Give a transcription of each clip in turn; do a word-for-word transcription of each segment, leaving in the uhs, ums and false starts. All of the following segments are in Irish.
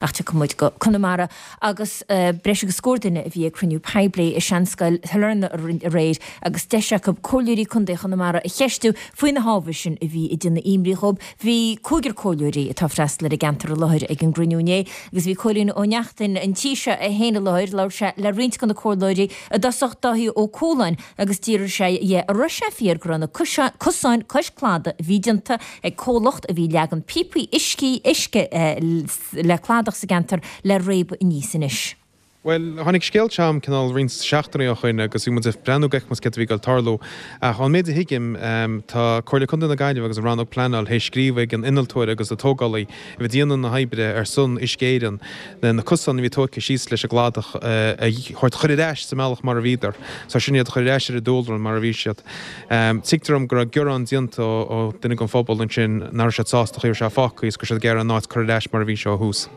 Ach tiocfaidh muid go Conamara agus uh, breis agus scór duine a bhí ag cruinniú poiblí i Seanscoil Shailearna aréir agus deis acu comhairleoirí Contae Chonamara a cheistiú faoi na hábhair sin a bhí ag déanamh imní dhóibh. Bhí cúigear comhairleoirí atá freastal ar an gceantar i láthair ag an gcruinniú inné agus bhí Cóilín Ó Neachtain an tí seo é féin i láthair labhair sé le roinnt de na comhairleoirí i dtosach Dáithí Ó Cualáin agus d'iarr sé dhe an raibh sé fíor go raibh na cosáin cois cladaigh a bhí déanta ag comhlacht a bhí ag leagan píopaí uiscí uisce eh, le cladach sa gceantar le réabadh aníos anois. Well, tháinig scéal chugam cineál roinnt seachtainí ó shin agus bhí muid ag breathnú go cad a bhí ag tarlú. Ach an méid a thuigim tá Comhairle Contae na Gaillimhe agus an rannóg pleanála théis scríobh ag an innealtóir agus an tógálaí a bhí ag déanamh na hoibre ar son Uisce Éireann na cosáin a bhí tógtha síos leis an gcladach a thabhairt chur ar ais sa mbealach mar a bhíodar. So sin iad chur ar ais ar a dúlra mar a bhí siad. Um, Tuigtear dom go raibh gearán déanta ó duine den phobal ansin nach raibh siad sásta chuir sé fácaí is gur siad géar an áit chur ar ais mar a bhí sé ó thús.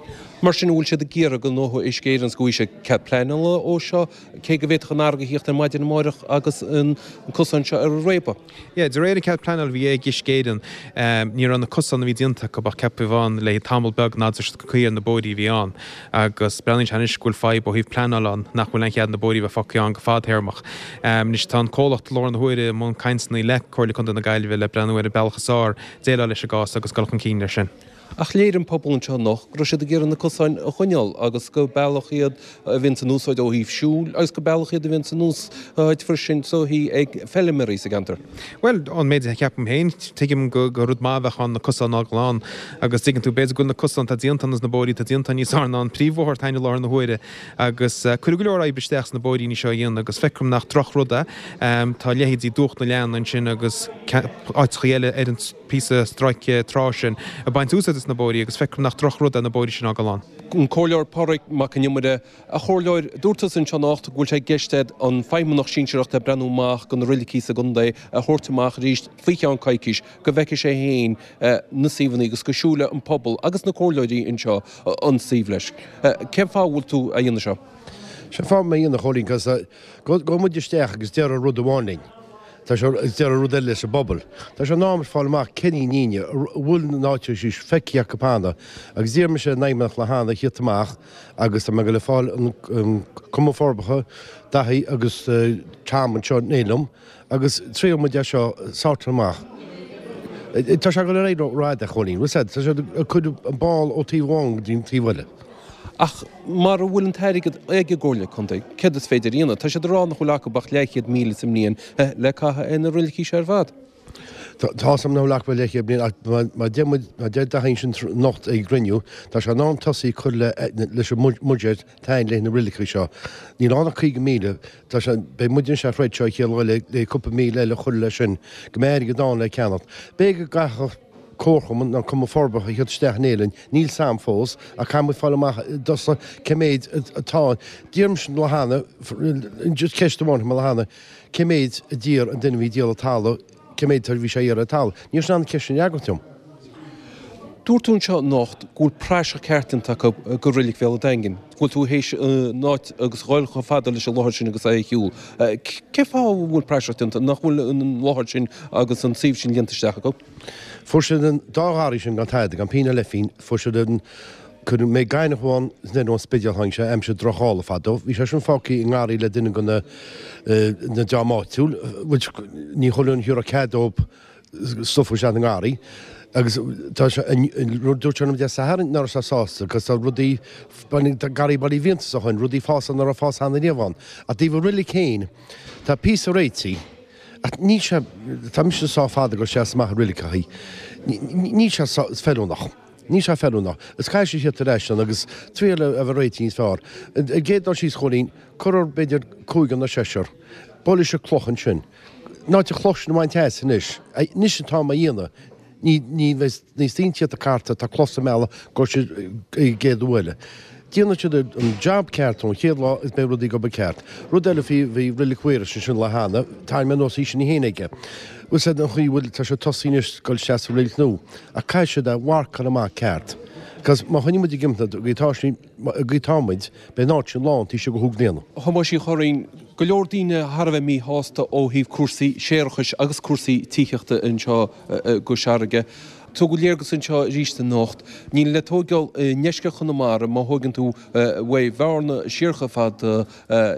Mar sin bhfuil siad ag iarraidh go ngnóthóidh Uisce Éireann go bhfuil sé cead pleanála ó seo cé go bhféadfadh an fharraige a theacht ar maidin amárach agus an cosán seo ar a réabadh. Yeah, de réir an cead pleanála bhí ag Uisce Éireann um, ní raibh na cosáin a bhí déanta acu ach ceaptha amháin le tamall beag nádúr cuí ar na bóithrí a bhí ann agus breathnaíonn sé anois go bhfuil fadhb ó thaobh pleanála ann nach bhfuil aon chead na bóithrí bheith fágtha ann go fadtéarmach. Um, Anois tá an comhlacht i láthair na huaire i mbun cainteanna le Comhairle Contae na Gaillimhe le breathnú ar an bealach is fearr déileáil leis an gcás agus dul chun cinn leis sin. Ach léirigh an pobal anseo anocht go raibh siad ag iarraidh na cosáin a choinneáil agus gur bealach iad a bhíonn in úsáid ó thaobh siúil agus gur bealach iad a bhíonn in úsáid freisin so hí ag feilméaraí sa gceantar. Well an méid a cheapaim féin tuigim go go rud maith a bheadh ann na cosáin a fhágáil ann agus tuigeann tú b'fhéidir go bhfuil na cosáin atá déanta agus na bóithrí atá déanta níos fearr ná an príomhbhóthar atá i láthair na huaire agus uh, cuireadh go leor oibre isteach sna bóithríní seo a dhéanamh agus feicim nach drochrud é um, tá leithéidí Dumhach na Leann ansin agus áiteacha eile ar an píosa stráice trá sin ag baint úsáid as na bóithrí agus feicim nach drochrud é na bóithrí sin a fhágáil ann. An Comhairleoir Pádraig Mac Con Iomaire a chomhairleoir dúirt tusa anseo anocht go bhfuil sé i gceist ag an feidhmeannach sinsearach le breathnú amach go na roilicí sa gcontae a thabhairt amach arís faoi cheann coicís go bhfeicfidh sé féin na suíomhanna agus go siúlfaidh an pobal agus na comhairleoirí anseo an suíomh leis. Cén fáth bhfuil tú a dhéanamh seo? Se fá mé dhéanamh Chóilín cos go go muid isteach agus deir rud amháin linn. Tá sé deir rud eile sa bpobal. Tá sé in am fáil amach cén líne bhfuil na áite sí feicthe acu cheana agus d'iarr mise ar an fheidhmeannach le hana thíocht amach agus tá mé go le fáil an Cumann Forbartha Daithí agus Tom anseo néilm agus triail muid é seo sort amach. Tá sé go le rá a Chóilín, tá sé chun an ball ó taobh amháin go dtí an taobh eile. Ach mar a bhfuil an t-airgead ag an gComhairle Contae, céard is féidir a dhéanamh, tá siad ag rá nach bhfuil acu ach leathchéad míle sa mbliain le caitheamh ar na roilicí seo ar fad. Tá sam nach bhfuil leathchéad bliain má deir Daithí sin anocht ag cruinniú, tá sé in am tosaí cur leis an mbuiséad tain le na roilicí seo. Níl ann ach caoga míle tá sé beidh muid se freiid seo chéad le le cúpla míle eile chur leis sin go mbeidh airgead ann le ceannacht. B'fhéidir go gcaithfeadh comharchumann nó cumann forbartha a theacht isteach in Éirinn, níl sam fós a caithfidh fáil amach dos cé méid atá d'iarr mise le hana just ceist amháin le hana cé méid a d'iarr an duine bhí ag díol an talamh cé méid bhí sé iarraidh talamh. Níl sin an ceist sin fhreagairt dom. Dúirt tú anseo anocht go bhfuil praiseach ceart déanta acu go Reilig Bhéal an Daingin, go bhfuil tú théis an áit agus dhul chomh fada leis an láthair sin agus é a shiúl. Cén fáth a bhfuil praiseach déanta nach bhfuil an láthair sin agus an suíomh sin líonta isteach acu? Fuair siad an dá gharraí sin gan tada gan pingin le phingin, fuair siad an Cuir mé gaineamh amháin ón Spidéal tháinig sé aimsir drochdhála fadó, bhí sé sin fágtha i ngarraí le duine de na na dream áitiúil, which ní chuireann thiúrfadh cead dóibh stuff a isteach na ngarraí. Agus tá sé dúirt sé liom Dé Sathairn nach raibh sé sásta, cos tá rudaí garraí Baile Uí Mhiantais ó shin, rudaí fás nach raibh fás cheana riamh ann. Ach taobh an roilig féin, tá píosa réitithe, ach níl sé, tá mise sách fada go seas amach an roilig, níl sé feiliúnach. Níl sé feiliúnach. Is caithfidh sé thíocht ar ais ann agus triail a bheith réitithe níos fearr. An gcéad dul síos Chóilín, cuirfear b'fhéidir cúigear nó seisear. Buailfidh sé cloch ansin. Ná te chloch sin a bhaint as anois. Anois atá á dhéanamh. Ní ní bheidh níos daoine tíocht carta tá cloch sa mbealach go siad ag gcéad uaile. Déanann siad an job ceart ón chéad lá is beidh rudaí go ceart. Rud eile faoi bhí Roilig Mhaorais ansin le hana, tá mé nós í sin í aige. Bhfuil said an chaoi bhfuil tá sé tosaí anois dul isteach sa roilig nua, ach caithfidh siad a mharcáil amach ceart. Cos má choinníonn muid ag imeacht go tá sí go tá muid, beidh an áit sin lán taobh istigh de chúig bliana. A Thomáis Uí Churraoin, go leor daoine thar a bheith míshásta ó thaobh cúrsaí séarachais agus cúrsaí tithíochta anseo i gCois Fharraige. Tugadh léargas anseo arís anocht, níl le tóigeáil i ndeisceart Chonamara má thóigeann tú uaidh Bhearna siar chomh fada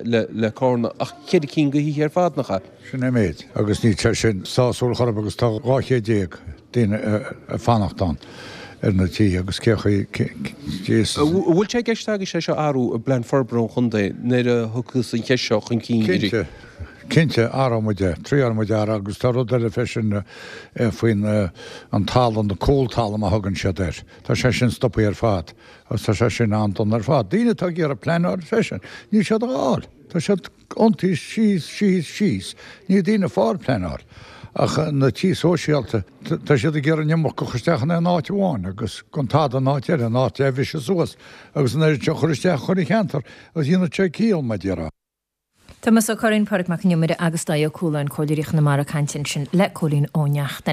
le Carna ach ceithre cinn de thithe ar fad, nach ea? Sin é an méid agus níl sé sin sásúil chor ar bith agus tá dhá chéad déag daoine ag fanacht ann ar na tithe agus cé chaoi is. An bhfuil sé i gceist agaibhse é seo a athrú i bPlean Forbartha an Chontae nuair a thiocfas an cheist seo chun cinn arís? Cinnte. Cinnte, athróidh muid é. Triailfidh muid é a athrú agus tá rud eile freisin faoin an talamh, an cúltalamh a thugann siad air. Tá sé sin stoptha ar fad agus tá sé sin an-dona ar fad. Daoine atá ag iarraidh pleanáil freisin, níl siad á fháil. Tá siad iontaithe síos, síos, síos. Níl daoine ag fáil pleanáil. Ach na tithe sóisialta, tá siad ag iarraidh an iomarca a chur isteach in aon áit amháin agus gan tada in áit eile, an áit a bhriseadh suas agus an oiread seo a chur isteach chuile cheantar agus dhéanfadh sé ciall, mar a déarfá. Tomás Ó Curráin, Pádraig Mac Con Iomaire agus Dáithí Ó Cualáin, Comhairleoirí Chonamara ag caint ansin le Cóilín Ó Neachtain.